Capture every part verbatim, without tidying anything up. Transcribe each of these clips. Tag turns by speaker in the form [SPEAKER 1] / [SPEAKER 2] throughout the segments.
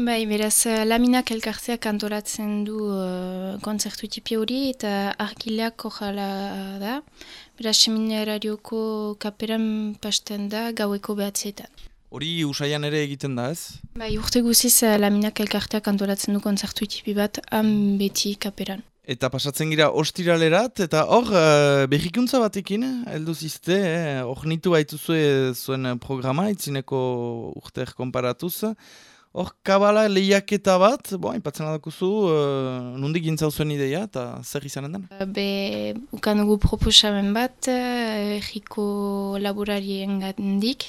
[SPEAKER 1] Bai, beraz, eh, Laminak elkarteak antolatzen du uh, kontzertu tipi hori eta argileak ojala da. Beraz, seminararioko kaperan pasten da gaueko behatzietan.
[SPEAKER 2] Hori usaian ere egiten da, ez?
[SPEAKER 1] Bai, urte guziz uh, Laminak elkarteak antolatzen du kontzertu tipi bat han beti kaperan.
[SPEAKER 2] Eta pasatzen gira ostiralerat, eta hor, uh, berrikuntza batekin, heldu zizte, eh? Hor nitu baituzue zuen programa, itzineko urter konparatuz. Hor, kabala lehiaketa bat, bo, ipatzen adakuzu, uh, nondik gintzau zuen ideia, eta zer izanen den?
[SPEAKER 1] Be, ukan dugu proposamen bat, erriko laborarien gandik,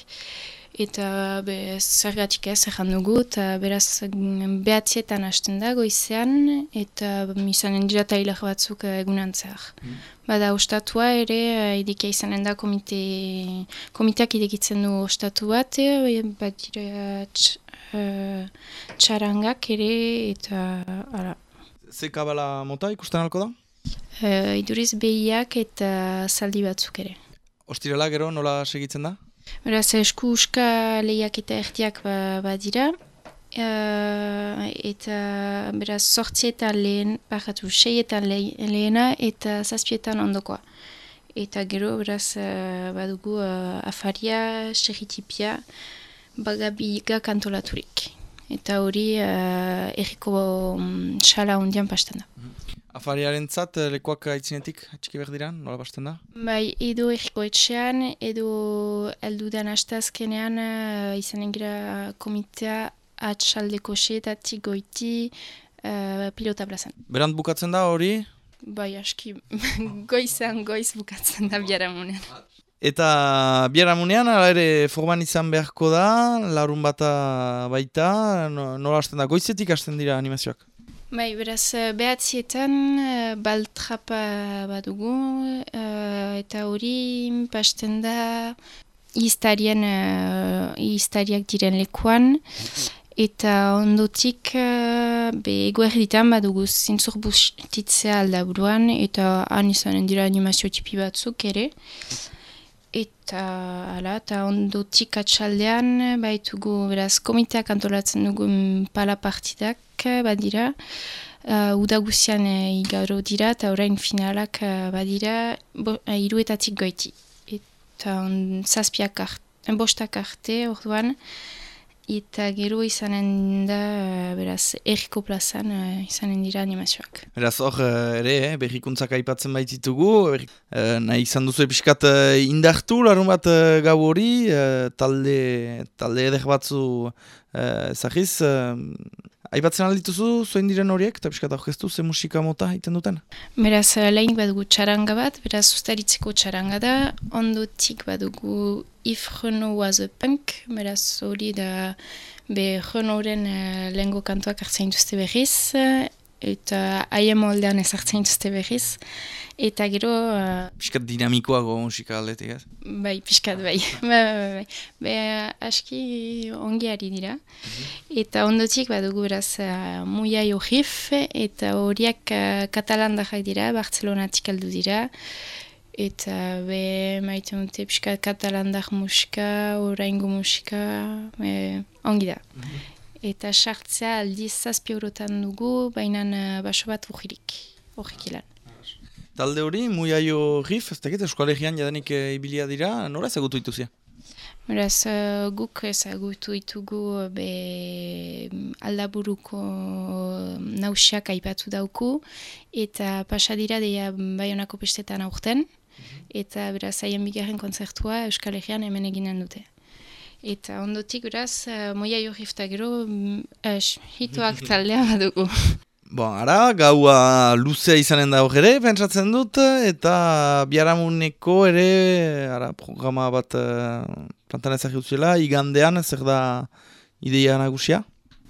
[SPEAKER 1] eta be, zergatik ez, erran dugu, eta beraz behatzietan hasten da goizean, eta izanen dira tailer batzuk egunan zehar. Mm. Bada ostatua ere, ideke izanen da komite, komiteak idekitzen du ostatu bat, bat dira uh, txarangak ere, eta ara.
[SPEAKER 2] Ze kabala mota ikusten alko da?
[SPEAKER 1] Uh, iduriz behiak eta zaldi batzuk ere.
[SPEAKER 2] Ostirala gero nola segitzen da?
[SPEAKER 1] Beraz, esku uska lehiak eta ertiak ba, badira. Uh, eta beraz, sortzietan lehen, bakatu, seietan lehena eta zazpietan ondokoa. Eta gero, beraz, uh, badugu uh, afaria, serritipia, bagabiga kantolaturik. Eta hori uh, erriko um, xala hondian pasten da.
[SPEAKER 2] Afariaren zat, lekuak aitzinetik txiki behar dira, nola pasten da?
[SPEAKER 1] Bai, edo erriko etxean, edo eldudan hastazkenean uh, izanen gira komitea atxaldeko seetatik goiti uh, pilota plazan.
[SPEAKER 2] Berant bukatzen da hori?
[SPEAKER 1] Bai, aski goizan goiz bukatzen da biharamunean.
[SPEAKER 2] Eta biharamunean, ala ere forman izan beharko da, larun bata baita, nola hasten da, goizetik hasten dira animazioak?
[SPEAKER 1] Bai, beraz, behatzietan baltrapa badugu, uh, eta hori pasten da iztarien, uh, iztariak diren lekuan, eta ondotik uh, be eguerditan badugu zintzur bustitzea aldaburuan, eta han izanen dira animazio tipi batzuk ere. Eta ala, eta ondotik atxaldean baitugu, beraz, komiteak antolatzen dugu pala partidak badira, uh, udaguzian uh, igaro dira, eta orain finalak uh, badira, bo, uh, iruetatik goiti. Eta on, zazpiak arte, bostak arte, orduan, eta gero izanen da, uh, beraz, erriko plazan uh, izanen dira animazioak.
[SPEAKER 2] Beraz, hor ere, eh, berrikuntzak aipatzen baititugu, berri, eh, nahi izan duzu episkat eh, indartu, larun bat eh, gau hori, eh, talde, talde eder batzu eh, ezagiz, eh, aipatzen aldituzu, zoin diren horiek, eta episkat aurkeztu, ze musika mota egiten duten?
[SPEAKER 1] Beraz, lehenik badugu txaranga bat, beraz, ustaritzeko txaranga da, ondotik badugu If Renault was a punk, beraz, hori da, be Renaultren uh, lehengo kantuak hartzen duzte berriz, eta haien moldean ez hartzen duzte berriz, eta gero... Uh,
[SPEAKER 2] piskat dinamikoago musika aldetik, ez?
[SPEAKER 1] Bai, piskat, bai. bai, bai, bai. Be, aski ongi ari dira. Mm-hmm. Eta ondotik badugu beraz uh, Muiai Orif, eta horiak uh, katalandarrak dira, Bartzelonatik aldu dira, eta be, maiten dute piskat katalandar musika, oraingo musika, be, ongi da. Mm-hmm. Eta sartzea aldiz zazpi eurotan dugu, baina uh, baso bat urririk, horrek ilan.
[SPEAKER 2] Talde hori, Muiaio Rif, ez dakit, Euskalegian jadanik e, ibilia dira, nora ezagutu dituzia?
[SPEAKER 1] Beraz, uh, guk ezagutu ditugu be aldaburuko nausiak aipatu dauku, eta pasadira deia Baionako pestetan aurten, mm-hmm. eta beraz, haien bigarren kontzertua Euskalegian hemen eginen dute. Eta ondotik, beraz, uh, Muiaio Rif eta gero, uh, hituak taldea badugu.
[SPEAKER 2] Bon, ara, gaua luzea izanen da hor ere, pentsatzen dut, eta biharamuneko ere, ara, programa bat uh, plantan ezagri utziela, igandean, zer da ideia nagusia?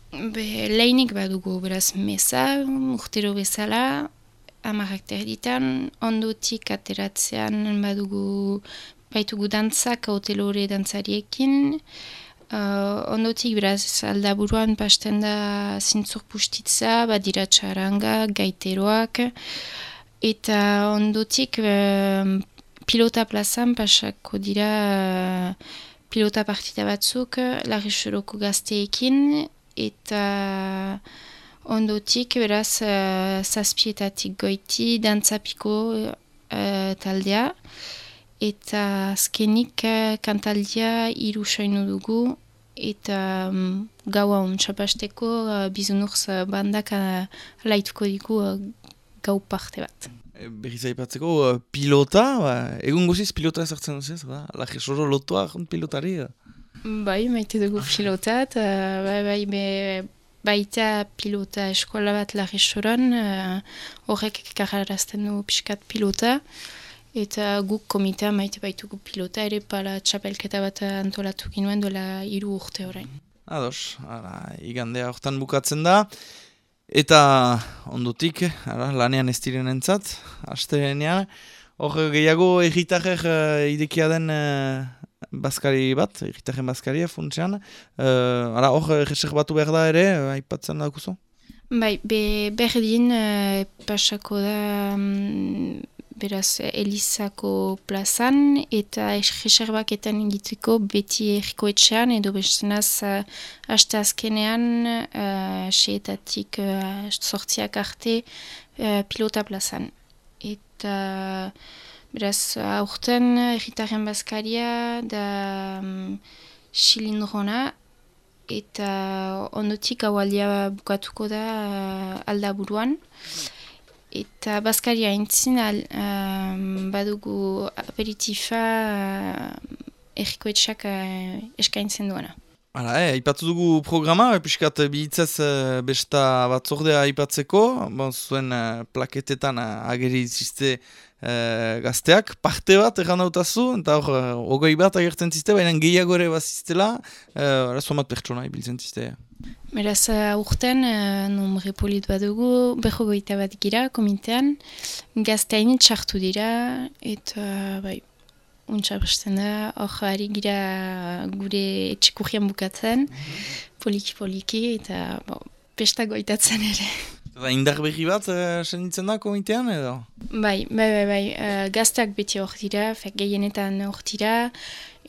[SPEAKER 1] Be, lehenik badugu, beraz, meza, urtero bezala, amarrak terditan, ondotik ateratzean badugu, baitugu dantzak, hotelore dantzariekin, Uh, ondotik, beraz, aldaburuan pasten da zintzur pustitza, badira txaranga, gaiteroak, eta ondotik uh, pilota plazan pasako dira uh, pilota partida batzuk, Larresoroko gazteekin, eta ondotik beraz uh, zazpietatik goiti dantzapiko uh, taldea, eta azkenik uh, kantaldia hiru soinu dugu, eta um, gaua ontxapasteko uh, bizunurz uh, bandak uh, laituko digu uh, gau parte bat.
[SPEAKER 2] Berriz aipatzeko, uh, pilota, ba, egun guziz pilota ezartzen duzez, ba? Lajesoro lotua pilotari? Da.
[SPEAKER 1] Bai, maite dugu pilotat, uh, bai, bai, be, baita pilota eskola bat Lajesoron, uh, horrek kararazten du pixkat pilota, eta guk komitea maite baitugu pilota, ere pala txapelketa bat antolatu ginuen duela hiru urte orain.
[SPEAKER 2] Ados, ara, igandea hortan bukatzen da. Eta ondutik, ara, lanean ez diren entzat, astenean, hor gehiago egitarrer uh, idekia den uh, bazkari bat, egitarren bazkaria funtsean, uh, ara hor reserbatu behar da ere, uh, aipatzen daukuzu?
[SPEAKER 1] Bai, be, berdin uh, pasako da um, beraz Elizako plazan, eta reserbaketan egiteko beti erriko etxean, edo bestenaz uh, haste azkenean uh, seetatik uh, sortziak arte uh, pilota plazan. Eta beraz aurten erritarren bazkaria da um, xilindrona, eta ondotik gaualdia bukatuko da uh, aldaburuan. Eta bazkaria entzin um, badugu aperitifa uh, errikoetxak uh, eskaintzen duena.
[SPEAKER 2] Hala, eh, aipatu dugu programa, piskat bihitzez uh, besta batzordea aipatzeko, bon, zuen uh, plaketetan uh, ageri ziste uh, gazteak, parte bat erran dautazu, eta hor, uh, ogoi bat agertzen ziste, baina gehiago ere baziztela, uh, somat pertsona ibiltzen ziste.
[SPEAKER 1] Beraz, uh, urten, uh, nombre polit badugu, berrogoita bat gira, komitean, gazteain txartu dira, eta bai, untxapresten da, hor ari gira gure etxekurrian bukatzen, poliki-poliki, eta bo, pesta goitatzen ere.
[SPEAKER 2] Eta indar berri bat uh, senditzen da komitean edo?
[SPEAKER 1] Bai, bai, bai, bai. Uh, gazteak beti hor dira, fek gehienetan hor dira,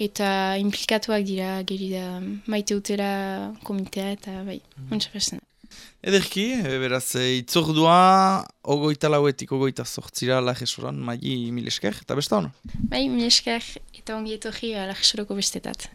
[SPEAKER 1] eta implikatuak dira, geri da maite utera komitea, eta bai, untxapresten da.
[SPEAKER 2] Ederki, beraz, itzordua, ogoita lauetik, ogoita sortzira Lajesoran, maili mil esker, eta besta hona?
[SPEAKER 1] Bai, mil esker, eta ongi etorri Lajesoroko bestetat.